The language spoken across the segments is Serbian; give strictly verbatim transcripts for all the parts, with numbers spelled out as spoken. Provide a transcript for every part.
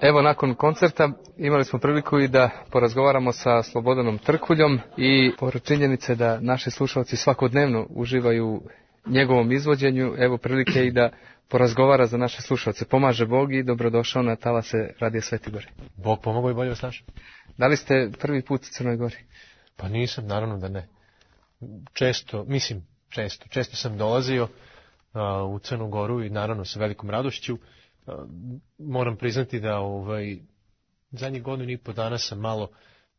Evo, nakon koncerta imali smo priliku i da porazgovaramo sa Slobodanom Trkuljom i pored činjenice da naši slušalci svakodnevno uživaju u njegovom izvođenju, evo prilike i da porazgovara za naše slušalce. Pomaže Bog i dobrodošao na talase Radija Sveti Gori. Bog pomogao i bolje vas našao. Da li ste prvi put u Crnoj Gori? Pa nisam, naravno da ne. Često, mislim često, često sam dolazio uh, u Crnu Goru i naravno sa velikom radošću. Uh, moram priznati da ovaj, zadnjih godinu i po dana sam malo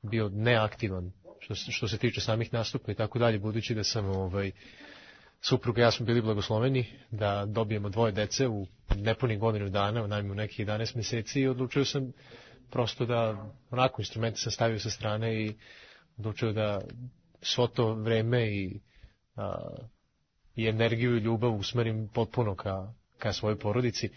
bio neaktivan što, što se tiče samih nastupa i tako dalje, budući da sam ovaj, supruga i ja smo bili blagosloveni da dobijemo dvoje dece u nepunih godinu dana, u najmu nekih jedanaest mjeseci i odlučio sam prosto da onako instrumente sam stavio sa strane i odlučio da svo to vreme i, a, i energiju i ljubav usmerim potpuno ka, ka svojoj porodici.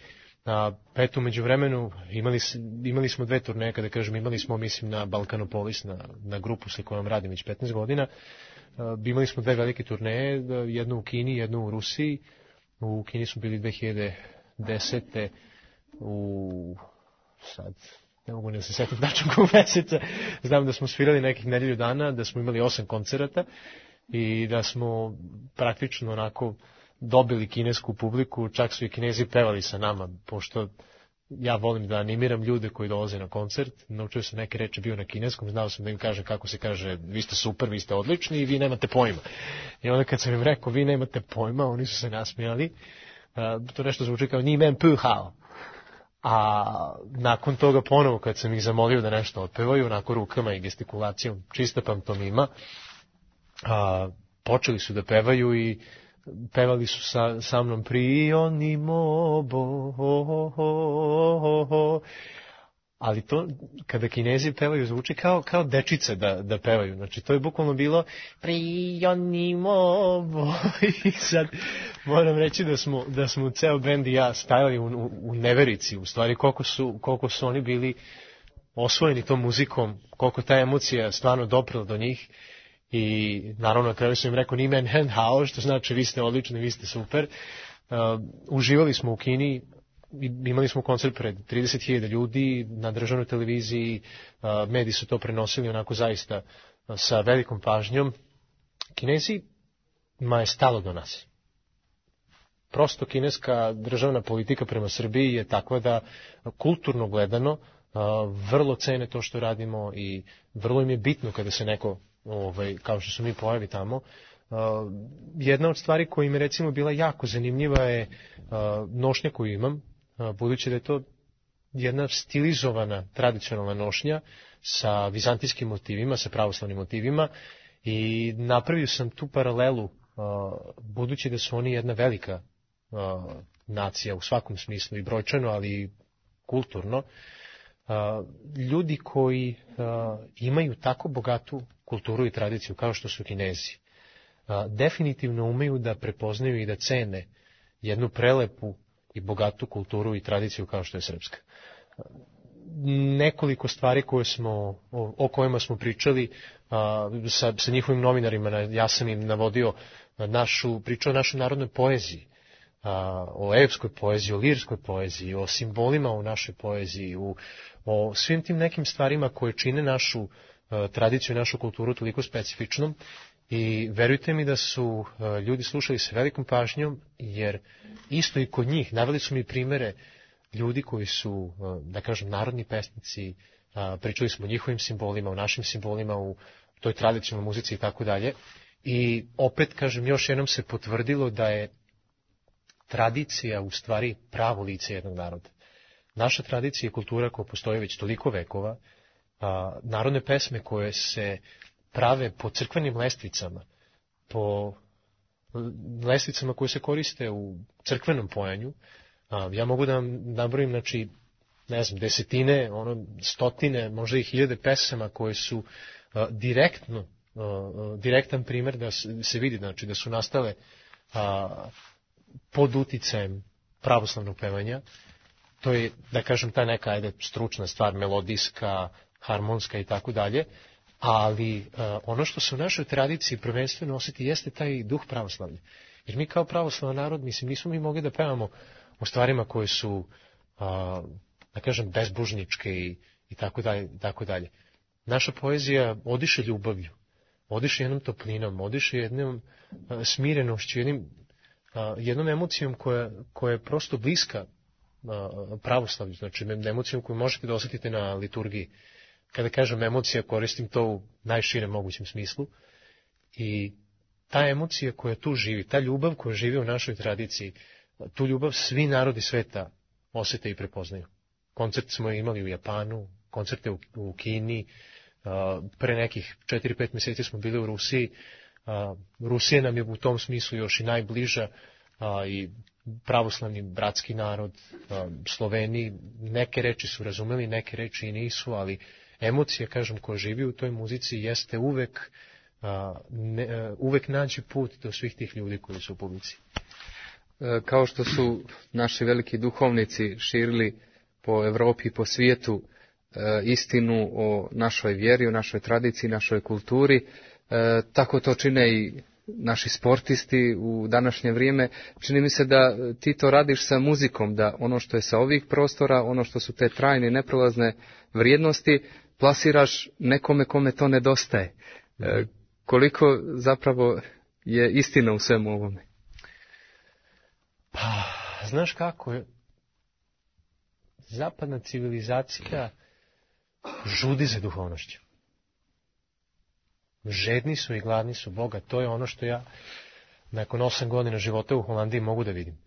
A, eto, među vremenu imali, imali smo dve turneje, kada kažem imali smo, mislim na Balkanopolis, na, na grupu sa kojom radim već petnaest godina. A, imali smo dve velike turneje, jednu u Kini, jednu u Rusiji. U Kini smo bili dve hiljade desete u sad... ne mogu ne se sjetiti tačno kog mjeseca, znam da smo svirali nekih nedelju dana, da smo imali osam koncerata i da smo praktično onako dobili kinesku publiku, čak su i Kinezi pevali sa nama, pošto ja volim da animiram ljude koji dolaze na koncert, naučio sam neke reči, bio na kineskom, znao sam da im kažem kako se kaže, vi ste super, vi ste odlični i vi nemate pojma. I onda kad sam im rekao, vi nemate pojma, oni su se nasmijali, to nešto zvuči kao ni men pu hao. A nakon toga ponovo kad sam ih zamolio da nešto otpevaju, onako rukama i gestikulacijom, čista pantomima, a, počeli su da pevaju i pevali su sa, sa mnom Prionimo bo, ho, ho, ho, ho. Ali to, kada Kinezi pevaju, zvuči kao, kao dečice da, da pevaju. Znači, to je bukvalno bilo Prionimo bo. I sad moram reći da smo, da smo ceo bend i ja stajali u, u, u neverici, u stvari koliko su, koliko su oni bili osvojeni tom muzikom, koliko ta emocija stvarno doprela do njih. I naravno na kraju sam im rekao ni men hen hao, što znači vi ste odlični, vi ste super. Uh, uživali smo u Kini. Imali smo koncert pred trideset hiljada ljudi na državnoj televiziji, mediji su to prenosili onako zaista sa velikom pažnjom. Kinezi ma je stalo do nas. Prosto kineska državna politika prema Srbiji je takva da kulturno gledano vrlo cene to što radimo i vrlo im je bitno kada se neko, ovaj, kao što su mi pojavi tamo. Jedna od stvari koja im je recimo bila jako zanimljiva je nošnja koju imam, budući da je to jedna stilizovana tradicionalna nošnja sa vizantijskim motivima, sa pravoslavnim motivima i napravio sam tu paralelu, budući da su oni jedna velika nacija u svakom smislu i brojčano, ali i kulturno. Ljudi koji imaju tako bogatu kulturu i tradiciju kao što su Kinezi, definitivno umeju da prepoznaju i da cene jednu prelepu i bogatu kulturu i tradiciju kao što je srpska. Nekoliko stvari koje smo, o, o kojima smo pričali a, sa, sa njihovim novinarima, ja sam im navodio našu, pričao o našoj narodnoj poeziji, a, o epskoj poeziji, o lirskoj poeziji, o simbolima u našoj poeziji, u, o svim tim nekim stvarima koje čine našu a, tradiciju i našu kulturu toliko specifičnom. I verujte mi da su uh, ljudi slušali sa velikom pažnjom, jer isto i kod njih naveli su mi primere ljudi koji su, uh, da kažem, narodni pesnici, uh, pričali smo o njihovim simbolima, o našim simbolima, u toj tradicionalnoj muzici i tako dalje. I opet, kažem, još jednom se potvrdilo da je tradicija u stvari pravo lice jednog naroda. Naša tradicija i kultura koja postoji već toliko vekova, uh, narodne pesme koje se prave po crkvenim lestvicama, po lestvicama koje se koriste u crkvenom pojanju. Ja mogu da vam nabrojim, znači, ne znam, desetine, ono, stotine, možda i hiljade pesama koje su a, direktno, a, direktan primjer da se vidi, znači, da su nastale a, pod uticajem pravoslavnog pevanja. To je, da kažem, ta neka, ajde, stručna stvar, melodijska, harmonska i tako dalje. Ali uh, ono što se u našoj tradiciji prvenstveno osjeti jeste taj duh pravoslavlja. Jer mi kao pravoslavan narod, mislim, nismo mi mogli da pevamo o stvarima koje su uh, da kažem, bezbožničke i, i tako dalje, i tako dalje. Naša poezija odiše ljubavlju, odiše jednom toplinom, odiše jednom a, smirenošću, jednim, a, jednom emocijom koja, koja je prosto bliska a, pravoslavlju, znači emocijom koju možete da osjetite na liturgiji. Kada kažem emocija, koristim to u najširem mogućem smislu. I ta emocija koja tu živi, ta ljubav koja živi u našoj tradiciji, tu ljubav svi narodi sveta osjete i prepoznaju. Koncert smo imali u Japanu, koncerte u, u Kini, pre nekih četiri pet mjeseci smo bili u Rusiji. Rusija nam je u tom smislu još i najbliža, i pravoslavni bratski narod, Sloveni, neke reči su razumeli, neke reči i nisu, ali emocija, kažem, koja živi u toj muzici jeste uvek, ne, uvek naći put do svih tih ljudi koji su u publici. Kao što su naši veliki duhovnici širili po Evropi i po svijetu istinu o našoj vjeri, o našoj tradiciji, našoj kulturi, tako to čine i naši sportisti u današnje vrijeme. Čini mi se da ti to radiš sa muzikom, da ono što je sa ovih prostora, ono što su te trajne i neprolazne vrijednosti, plasiraš nekome kome to nedostaje. E, koliko zapravo je istina u svemu ovome? Pa, znaš kako je? Zapadna civilizacija žudi za duhovnošću. Žedni su i gladni su Boga. To je ono što ja nakon osam godina života u Holandiji mogu da vidim.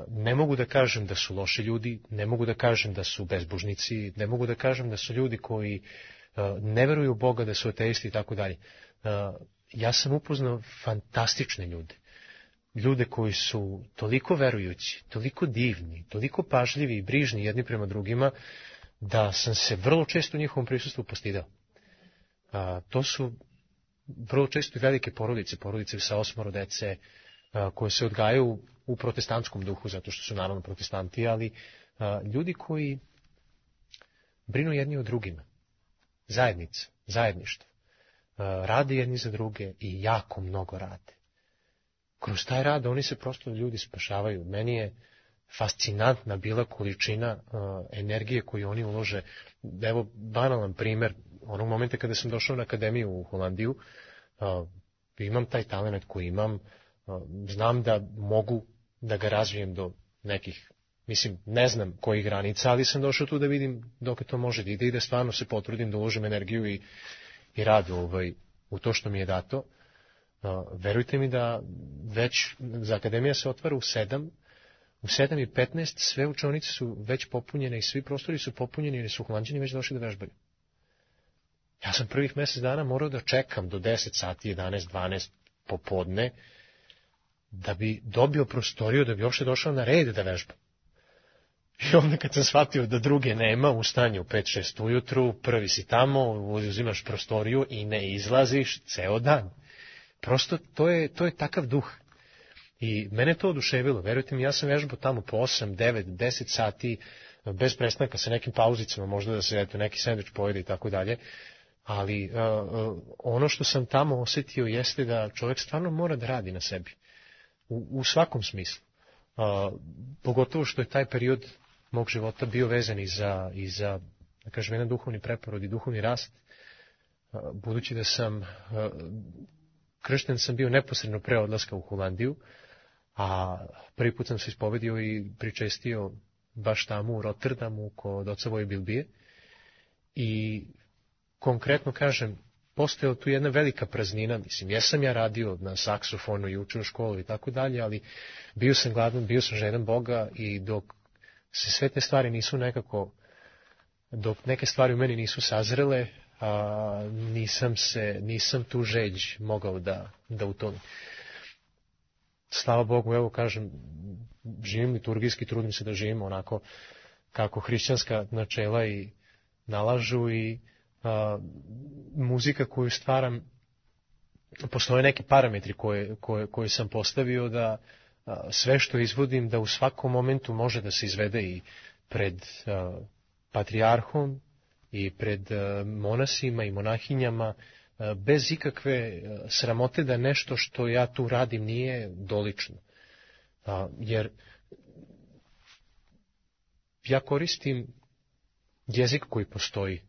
Ne mogu da kažem da su loši ljudi, ne mogu da kažem da su bezbožnici, ne mogu da kažem da su ljudi koji ne veruju u Boga, da su ateisti i tako dalje. Ja sam upoznao fantastične ljude. Ljude koji su toliko verujući, toliko divni, toliko pažljivi i brižni jedni prema drugima, da sam se vrlo često u njihovom prisustvu postidao. To su vrlo često i velike porodice, porodice sa osmoro dece, koje se odgajaju u protestantskom duhu, zato što su naravno protestanti, ali ljudi koji brinu jedni o drugima. Zajednica, zajedništvo. Rade jedni za druge i jako mnogo rade. Kroz taj rad oni se prosto ljudi spašavaju. Meni je fascinantna bila količina uh, energije koju oni ulože. Evo, banalan primjer, onog momenta kada sam došao na akademiju u Holandiju, uh, imam taj talent koji imam, uh, znam da mogu da ga razvijem do nekih, mislim, ne znam kojih granica, ali sam došao tu da vidim dok to može da ide i da stvarno se potrudim da uložim energiju i, i rad ovaj, u to što mi je dato. Uh, verujte mi da već, za akademija se otvara u sedam, u sedam i petnaest sve učionice su već popunjene i svi prostori su popunjeni jer su Holanđani već došli da vežbaju. Ja sam prvih mjesec dana morao da čekam do deset sati, jedanaest, dvanaest popodne da bi dobio prostoriju, da bi uopšte došao na red da vežbam. I onda kad sam shvatio da druge nema, ustane u pet šest ujutru, prvi si tamo, uzimaš prostoriju i ne izlaziš ceo dan. Prosto to je, to je takav duh. I mene to oduševilo, verujte mi, ja sam vežbao tamo po osam, devet, deset sati, bez prestanka, sa nekim pauzicama, možda da se eto, neki sendvič pojede i tako dalje, ali uh, uh, ono što sam tamo osjetio jeste da čovjek stvarno mora da radi na sebi, u, u svakom smislu. Uh, pogotovo što je taj period mog života bio vezan i za, i za da kažem, jedan duhovni preporod i duhovni rast, uh, budući da sam... Uh, kršten sam bio neposredno pre odlaska u Holandiju, a prvi put sam se ispovedio i pričestio baš tamo u Rotterdamu kod oca Voje Bilbije. I konkretno kažem, postojala tu jedna velika praznina, mislim, jesam ja radio na saksofonu i učio u školu i tako dalje, ali bio sam gladan, bio sam žedan Boga i dok se sve te stvari nisu nekako, dok neke stvari u meni nisu sazrele, a nisam se, nisam tu žeđ mogao da, da utonim. Slava Bogu, evo kažem, živim liturgijski, trudim se da živim onako kako hrišćanska načela i nalažu i a, muzika koju stvaram, postoje neki parametri koje, koje, koje sam postavio da a, sve što izvodim da u svakom momentu može da se izvede i pred a, patrijarhom i pred monasima i monahinjama, bez ikakve sramote da nešto što ja tu radim nije dolično. Jer ja koristim jezik koji postoji,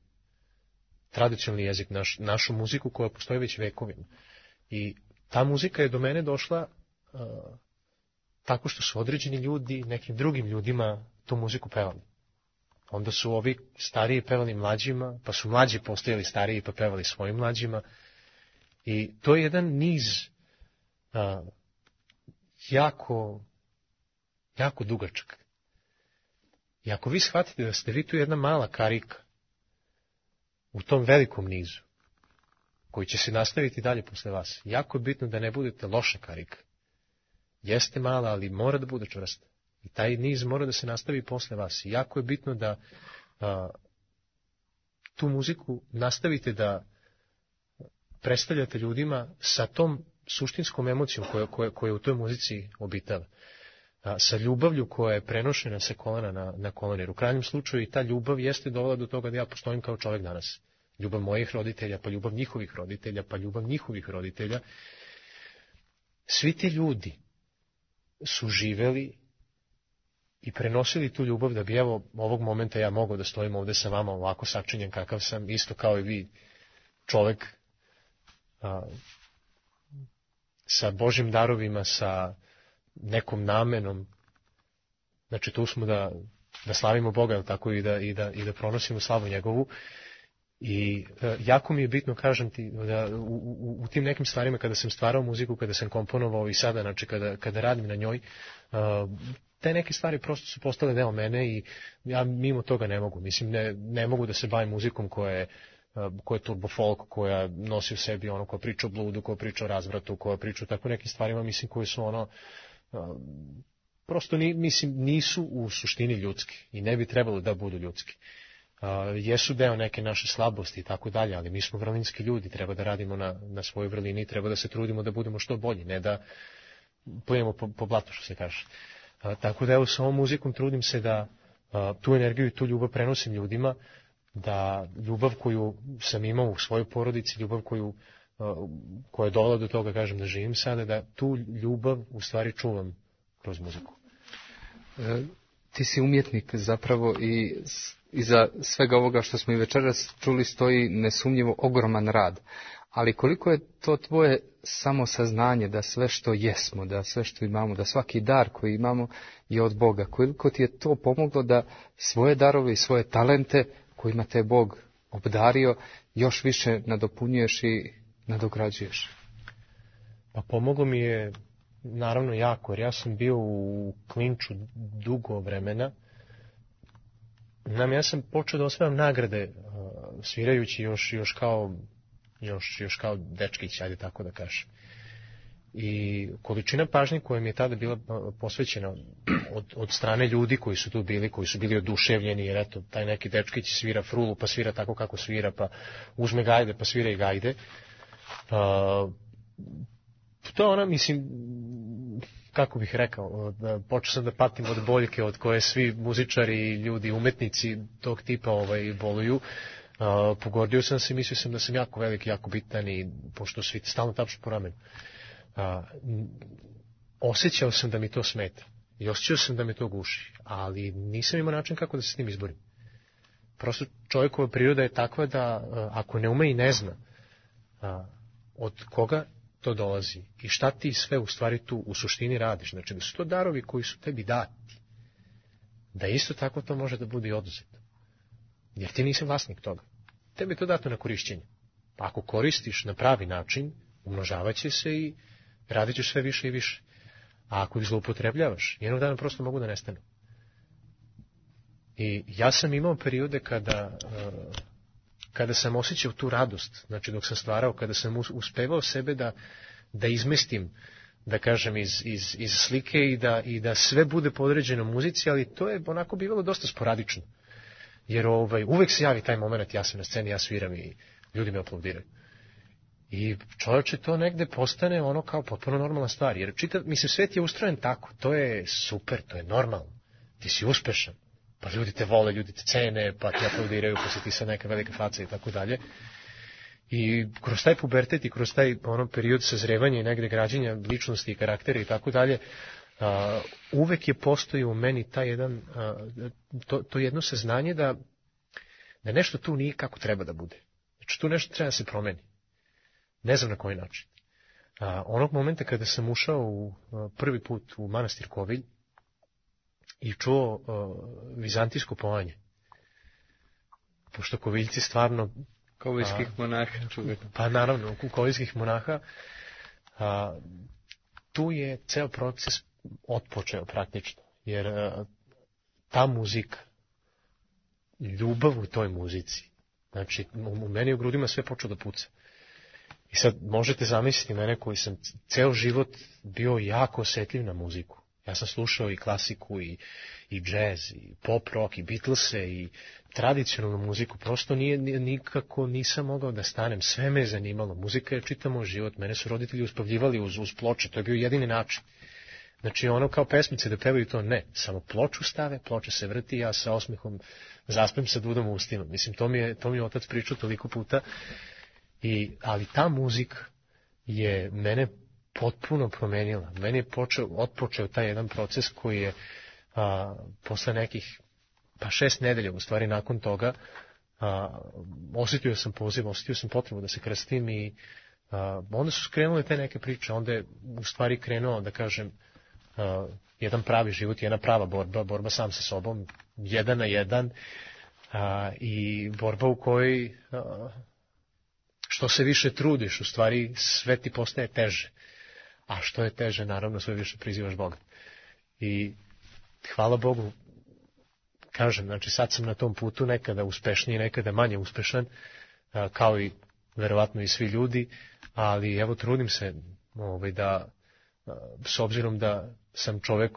tradicionalni jezik, naš, našu muziku koja postoji već vekovima. I ta muzika je do mene došla uh, tako što su određeni ljudi nekim drugim ljudima tu muziku pevali. Onda su ovi stariji pevali mlađima, pa su mlađi postojali stariji pa pevali svojim mlađima. I to je jedan niz uh, jako, jako dugačak. I ako vi shvatite da ste vi tu jedna mala karika u tom velikom nizu, koji će se nastaviti dalje posle vas, jako je bitno da ne budete loša karika. Jeste mala, ali mora da bude čvrsta. I taj niz mora da se nastavi posle vas. I jako je bitno da a, tu muziku nastavite da predstavljate ljudima sa tom suštinskom emocijom koja, koja, koja u toj muzici obitava. A, sa ljubavlju koja je prenošena sa kolena na, na kolen. Jer u krajnjem slučaju i ta ljubav jeste dovela do toga da ja postojim kao čovjek danas. Ljubav mojih roditelja, pa ljubav njihovih roditelja, pa ljubav njihovih roditelja. Svi ti ljudi su živeli i prenosili tu ljubav da bi evo ovog momenta ja mogao da stojim ovde sa vama ovako sačinjen kakav sam, isto kao i vi, čovek a, sa Božim darovima, sa nekom namenom. Znači tu smo da, da slavimo Boga, ali tako i da, i da, i da pronosimo slavu njegovu. I e, jako mi je bitno, kažem ti, da u, u, u tim nekim stvarima kada sam stvarao muziku, kada sam komponovao i sada, znači kada, kada radim na njoj, a, te neke stvari prosto su postale deo mene i ja mimo toga ne mogu. Mislim, ne, ne mogu da se bavim muzikom koja je, koja je turbo folk, koja nosi u sebi ono, koja priča o bludu, koja priča o razvratu, koja priča o tako nekim stvarima, mislim, koji su ono, prosto ni, mislim, nisu u suštini ljudski i ne bi trebalo da budu ljudski. Uh, jesu deo neke naše slabosti i tako dalje, ali mi smo vrlinski ljudi, treba da radimo na, na svojoj vrlini i treba da se trudimo da budemo što bolji, ne da pojemo po, po blatu, što se kaže. Uh, tako da evo sa ovom muzikom trudim se da uh, tu energiju i tu ljubav prenosim ljudima, da ljubav koju sam imao u svojoj porodici, ljubav koju, uh, koja je dovela do toga, kažem, da živim sada, da tu ljubav u stvari čuvam kroz muziku. E, ti si umjetnik zapravo i iza svega ovoga što smo i večeras čuli stoji nesumnjivo ogroman rad. Ali koliko je to tvoje samosaznanje da sve što jesmo, da sve što imamo, da svaki dar koji imamo je od Boga. Koliko ti je to pomoglo da svoje darove i svoje talente kojima te Bog obdario još više nadopunjuješ i nadograđuješ? Pa pomoglo mi je naravno jako, jer ja sam bio u klinču dugo vremena. Nam, ja sam počeo da osvajam nagrade svirajući još, još, kao, još, još kao dečkić, ajde tako da kažem. I količina pažnje koja mi je tada bila posvećena od, od strane ljudi koji su tu bili, koji su bili oduševljeni, jer eto, taj neki dečkić svira frulu, pa svira tako kako svira, pa uzme gajde, pa svira i gajde. Uh, to je ona, mislim, kako bih rekao, da počeo sam da patim od boljke od koje svi muzičari i ljudi, umetnici tog tipa ovaj, boluju. Uh, pogordio sam se i mislio sam da sam jako veliki, jako bitan i pošto svi stalno tapšu po ramenu. Uh, osjećao sam da mi to smeta i osjećao sam da me to guši, ali nisam imao način kako da se s tim izborim. Prosto čovjekova priroda je takva da uh, ako ne ume i ne zna uh, od koga to dolazi i šta ti sve u stvari tu u suštini radiš, znači da su to darovi koji su tebi dati, da isto tako to može da bude i oduzeto, jer ti nisi vlasnik toga, tebi je to dato na korišćenje, pa ako koristiš na pravi način, umnožavaće se i radit ćeš sve više i više, a ako ih zloupotrebljavaš, jednog dana prosto mogu da nestanu. I ja sam imao periode kada uh, kada sam osjećao tu radost, znači dok sam stvarao, kada sam uspevao sebe da, da izmestim, da kažem, iz, iz, iz slike i da, i da sve bude podređeno muzici, ali to je onako bivalo dosta sporadično. Jer ovaj, uvek se javi taj moment, ja sam na sceni, ja sviram i ljudi me aplaudiraju. I čovječe, to negde postane ono kao potpuno normalna stvar, jer čitav, mislim, svet je ustrojen tako, to je super, to je normalno, ti si uspešan. Pa ljudi te vole, ljudi te cene, pa ti aplaudiraju, pa si ti sad neka velika faca i tako dalje. I kroz taj pubertet i kroz taj ono period sazrevanja i negde građenja ličnosti i karaktera i tako dalje, uvek je postojao u meni taj jedan, a, to, to jedno saznanje da da nešto tu nije kako treba da bude. Znači tu nešto treba da se promeni. Ne znam na koji način. A, onog momenta kada sam ušao u, a, prvi put u manastir Kovilj i čuo a, vizantijsko povanje, pošto Koviljci stvarno... Koviljskih monaha. Pa naravno, koviljskih monaha, a, tu je ceo proces otpočeo praktično, jer a, ta muzika, ljubav u toj muzici, znači u meni u grudima sve počeo da puca. I sad možete zamisliti mene koji sam ceo život bio jako osjetljiv na muziku. Ja sam slušao i klasiku, i, i džez, i pop rock, i Beatlese, i tradicionalnu muziku. Prosto nije, nikako nisam mogao da stanem. Sve me je zanimalo. Muzika je čitav moj život. Mene su roditelji uspavljivali uz, uz ploče. To je bio jedini način. Znači ono kao pesmice da pevaju to, ne. Samo ploču stave, ploča se vrti, ja sa osmehom zaspem sa dudom u ustima. Mislim, to mi je, to mi je otac pričao toliko puta. I, ali ta muzika je mene potpuno promenila. Meni je počeo, otpočeo taj jedan proces koji je a, posle nekih pa šest nedelja, u stvari nakon toga, a, osjetio sam poziv, osjetio sam potrebu da se krstim i a, onda su skrenule te neke priče. Onda je u stvari krenuo, da kažem, a, jedan pravi život, jedna prava borba, borba sam sa sobom, jedan na jedan a, i borba u kojoj a, što se više trudiš, u stvari sve ti postaje teže. A što je teže, naravno, sve više prizivaš Boga. I hvala Bogu, kažem, znači sad sam na tom putu nekada uspešniji, nekada manje uspešan, kao i verovatno i svi ljudi, ali evo trudim se ovaj, da, s obzirom da sam čovek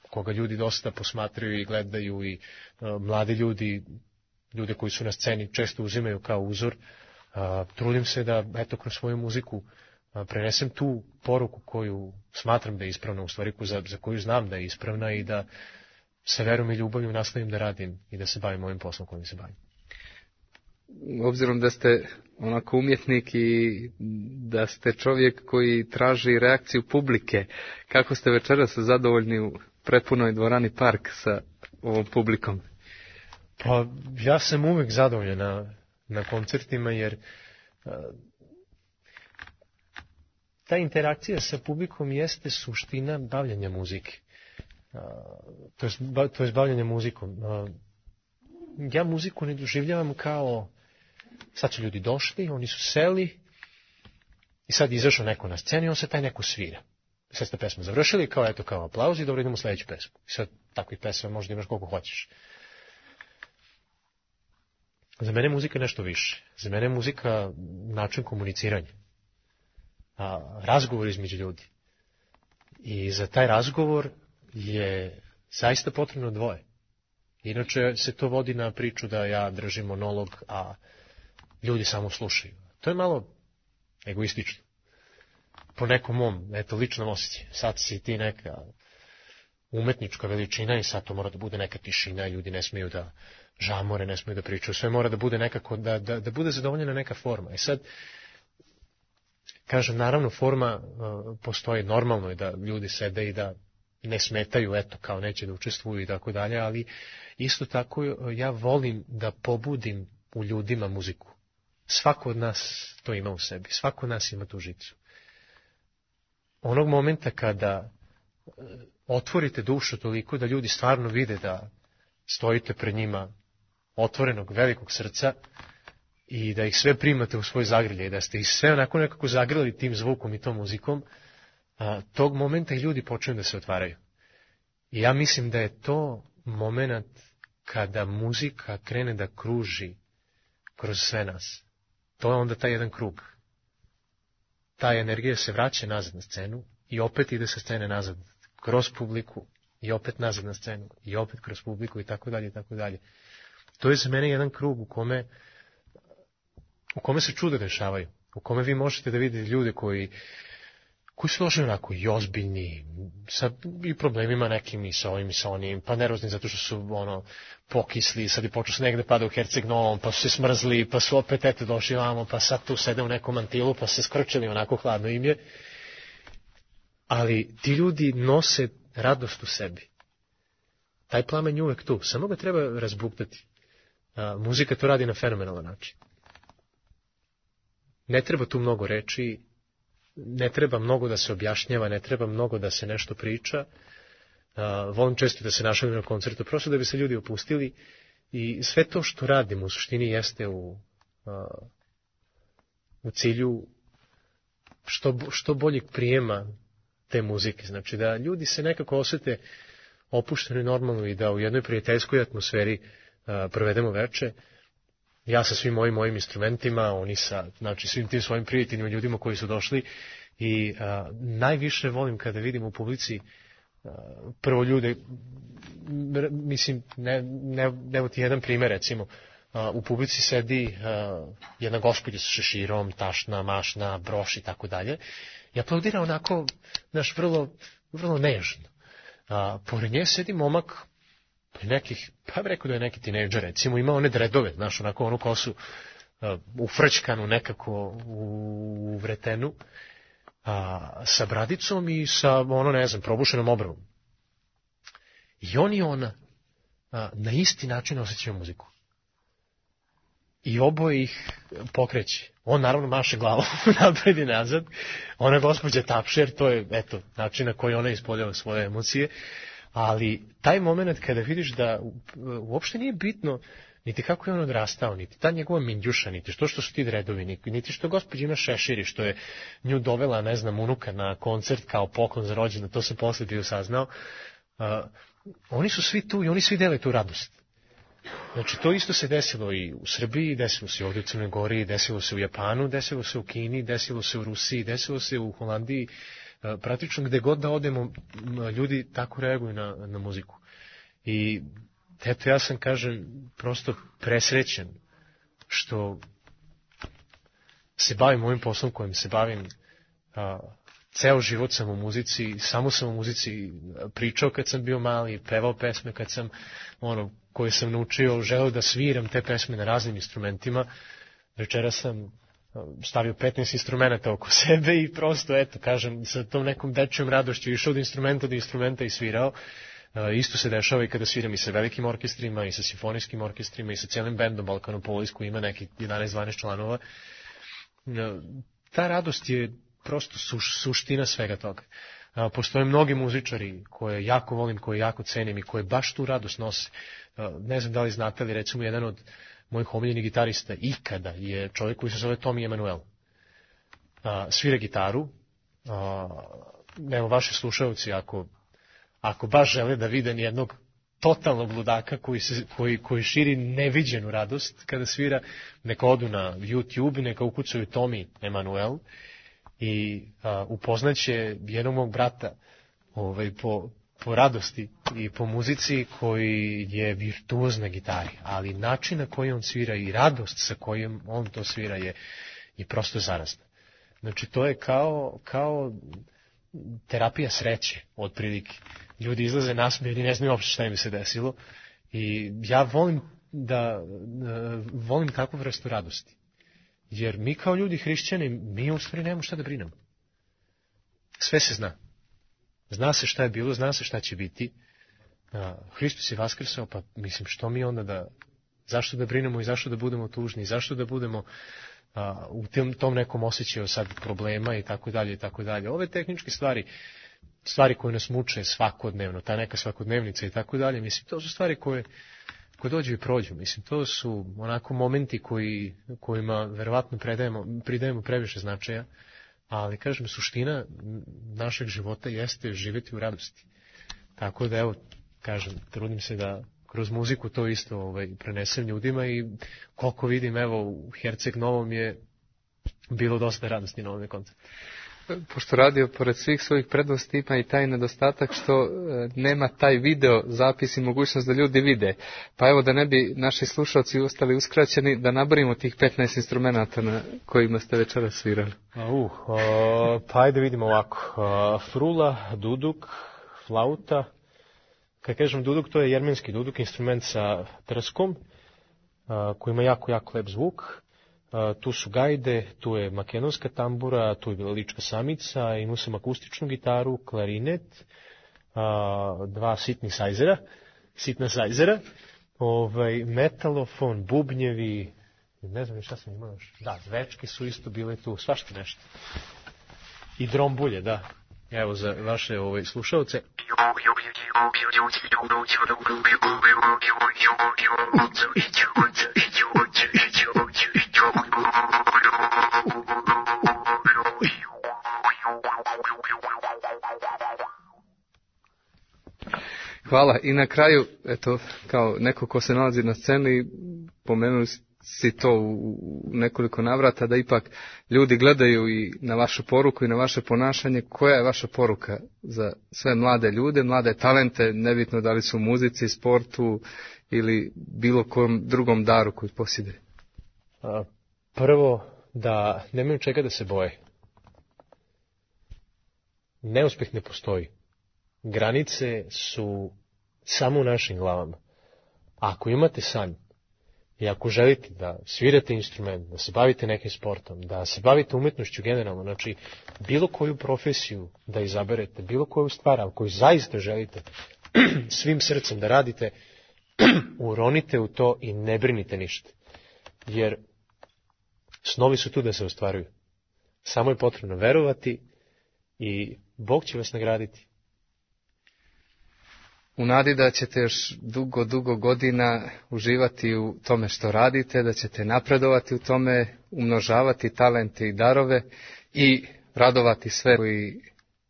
koga ljudi dosta posmatraju i gledaju i mladi ljudi, ljude koji su na sceni često uzimaju kao uzor, trudim se da, eto, kroz svoju muziku prenesem tu poruku koju smatram da je ispravna, u stvari za, za koju znam da je ispravna i da sa verom i ljubavlju nastavim da radim i da se bavim ovim poslom kojim se bavim. Obzirom da ste onako umjetnik i da ste čovjek koji traži reakciju publike, kako ste večeras zadovoljni u prepunoj dvorani Park sa ovom publikom? Pa ja sam uvek zadovoljan na, na koncertima jer uh, ta interakcija sa publikom jeste suština bavljanja muzike. Uh, to je, to je bavljanje muzikom. Uh, ja muziku ne doživljavam kao sad su ljudi došli, oni su seli i sad izašao neko na sceni i on se taj neko svira. Sad ste pesmu završili, kao eto kao aplauz i dobro idemo u sledeću pesmu. I sad takvih pesama možda imaš koliko hoćeš. Za mene je muzika nešto više. Za mene je muzika način komuniciranja. A, razgovor između ljudi. I za taj razgovor je zaista potrebno dvoje. Inače se to vodi na priču da ja držim monolog, a ljudi samo slušaju. To je malo egoistično. Po nekom mom, eto, ličnom osjećaju. Sad si ti neka umetnička veličina i sad to mora da bude neka tišina, ljudi ne smiju da žamore, ne smiju da pričaju, sve mora da bude nekako, da, da, da bude zadovoljena neka forma. I sad, kažem, naravno forma uh, postoji, normalno je da ljudi sede i da ne smetaju, eto, kao neće da učestvuju i tako dalje, ali isto tako ja volim da pobudim u ljudima muziku. Svako od nas to ima u sebi, svako od nas ima tu žicu. Onog momenta kada otvorite dušu toliko da ljudi stvarno vide da stojite pred njima otvorenog velikog srca i da ih sve primate u svoj zagrljaj, da ste ih sve onako nekako zagrljali tim zvukom i tom muzikom, a, tog momenta i ljudi počinju da se otvaraju. I ja mislim da je to moment kada muzika krene da kruži kroz sve nas. To je onda taj jedan krug. Ta energija se vraća nazad na scenu i opet ide sa scene nazad kroz publiku i opet nazad na scenu i opet kroz publiku i tako dalje i tako dalje. To je za mene jedan krug u kome u kome se čuda dešavaju, u kome vi možete da vidite ljude koji koji su došli onako i ozbiljni, sa i problemima nekim i sa ovim i sa onim, pa nervozni zato što su ono pokisli, sad je počeo sneg da pada u Herceg Novom, pa su se smrzli, pa su opet eto došli vamo, pa sad tu sede u nekom mantilu, pa se skrčili, onako hladno im je. Ali ti ljudi nose radost u sebi. Taj plamen je uvek tu, samo ga treba razbuktati. a, muzika to radi na fenomenalan način. Ne treba tu mnogo reči, ne treba mnogo da se objašnjava, ne treba mnogo da se nešto priča. Uh, volim često da se našalim na koncertu, prosto da bi se ljudi opustili i sve to što radimo u suštini jeste u, uh, u cilju što, što boljeg prijema te muzike. Znači da ljudi se nekako osete opušteno i normalno i da u jednoj prijateljskoj atmosferi uh, provedemo veče. Ja sa svim mojim mojim instrumentima, oni sa znači, svim tim svojim prijateljima, ljudima koji su došli i uh, najviše volim kada vidim u publici uh, prvo ljude, mislim, ne, ne, evo ti jedan primjer, recimo, uh, u publici sedi uh, jedna gospođa sa šeširom, tašna, mašna, broš i tako dalje i aplaudira onako, znaš, vrlo, vrlo nežno. Uh, pored nje sedi momak nekih, pa bih rekao da je neki tinejdžer, recimo, ima one dredove, znaš, onako onu kosu uh, ufrčkanu nekako u, u vretenu, a, sa bradicom i sa, ono, ne znam, probušenom obravom. I on i ona a, na isti način osjećaju muziku. I oboje ih pokreće. On naravno maše glavom napred i nazad. Ona gospođa tapše, jer to je, eto, način na koji ona ispoljava svoje emocije. Ali taj moment kada vidiš da uopšte nije bitno niti kako je on odrastao, niti ta njegova mindjuša, niti što što su ti dredovi, niti što gospođa ima šeširi, što je nju dovela, ne znam, unuka na koncert kao poklon za rođendan, to sam posle bio saznao. Uh, oni su svi tu i oni svi dele tu radost. Znači, to isto se desilo i u Srbiji, desilo se ovdje u Crnoj Gori, desilo se u Japanu, desilo se u Kini, desilo se u Rusiji, desilo se u Holandiji. Praktično gde god da odemo, ljudi tako reaguju na, na muziku. I eto, ja sam, kažem, prosto presrećen što se bavim ovim poslom kojim se bavim. A, ceo život sam u muzici, samo sam u muzici pričao kad sam bio mali, pevao pesme kad sam, ono, koje sam naučio, želeo da sviram te pesme na raznim instrumentima. Večera sam stavio petnaest instrumenta oko sebe i prosto, eto, kažem, sa tom nekom dečjom radošću išao od instrumenta do instrumenta i svirao. E, isto se dešava i kada sviram i sa velikim orkestrima, i sa simfonijskim orkestrima, i sa cijelim bendom Balkanopolis koji ima neki jedanaest dvanaest članova. E, ta radost je prosto suš, suština svega toga. E, postoje mnogi muzičari koje jako volim, koje jako cenim i koje baš tu radost nose. E, ne znam da li znate, ali recimo jedan od mojih omiljenih gitarista ikada je čovjek koji se zove Tommy Emmanuel. A, svira gitaru. A, evo, vaši slušalci, ako, ako baš žele da vide jednog totalnog ludaka koji, se, koji, koji širi neviđenu radost kada svira, neka odu na YouTube, neka ukucaju Tommy Emmanuel i a, upoznaće jednog mog brata ovaj, po... po radosti i po muzici koji je virtuoz na gitari, ali način na koji on svira i radost sa kojim on to svira je, je prosto zarazna. Znači, to je kao, kao terapija sreće, otprilike. Ljudi izlaze nasmijeni, ne znaju uopšte šta im se desilo i ja volim da, volim takvu vrstu radosti. Jer mi kao ljudi hrišćani, mi u stvari nemamo šta da brinemo. Sve se zna. Zna se šta je bilo, zna se šta će biti. Hristos je vaskrsao, pa mislim što mi onda da, zašto da brinemo i zašto da budemo tužni, zašto da budemo a, u tom, tom nekom osjećaju sad problema i tako dalje i tako dalje. Ove tehničke stvari, stvari koje nas muče svakodnevno, ta neka svakodnevnica i tako dalje, mislim, to su stvari koje, koje dođu i prođu. Mislim, to su onako momenti koji, kojima verovatno predajemo, pridajemo previše značaja. Ali, kažem, suština našeg života jeste živjeti u radosti. Tako da, evo, kažem, trudim se da kroz muziku to isto ovaj, prenesem ljudima i koliko vidim, evo, u Herceg Novom je bilo dosta radosti na ovom koncertu. Pošto radio, pored svih svojih prednosti, ima i taj nedostatak što nema taj video zapis i mogućnost da ljudi vide. Pa evo, da ne bi naši slušalci ostali uskraćeni, da nabrojimo tih petnaest instrumenta na kojima ste večeras svirali. Uh, uh, pa ajde vidimo ovako. Uh, frula, duduk, flauta. Kad kažem duduk, to je jermenski duduk, instrument sa trskom, uh, koji ima jako, jako lep zvuk. Uh, tu su gajde, tu je makedonska tambura, tu je bila lička samica, imao sam akustičnu gitaru, klarinet, uh, dva sitnih sajzera, sitna sajzera, ovaj, metalofon, bubnjevi, ne znam šta sam imao još. Da, zvečke su isto bile tu, svašta nešto. I drombulje, da. Evo za vaše ovaj, slušalce. Hvala. I na kraju, eto, kao neko ko se nalazi na sceni, pomenuli si to u nekoliko navrata, da ipak ljudi gledaju i na vašu poruku i na vaše ponašanje. Koja je vaša poruka za sve mlade ljude, mlade talente, nebitno da li su u muzici, sportu ili bilo kom drugom daru koji posjeduje? Prvo, da nemaju čega da se boje. Neuspeh ne postoji. Granice su samo u našim glavama. Ako imate san i ako želite da svirate instrument, da se bavite nekim sportom, da se bavite umetnošću generalno, znači bilo koju profesiju da izaberete, bilo koju stvar, ali koju zaista želite svim srcem da radite, uronite u to i ne brinite ništa. Jer snovi su tu da se ostvaruju. Samo je potrebno verovati i Bog će vas nagraditi. U nadi da ćete još dugo, dugo godina uživati u tome što radite, da ćete napredovati u tome, umnožavati talente i darove i radovati sve koji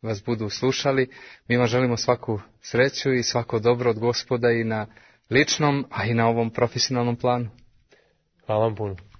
vas budu slušali. Mi vam želimo svaku sreću i svako dobro od Gospoda i na ličnom, a i na ovom profesionalnom planu. Hvala vam puno.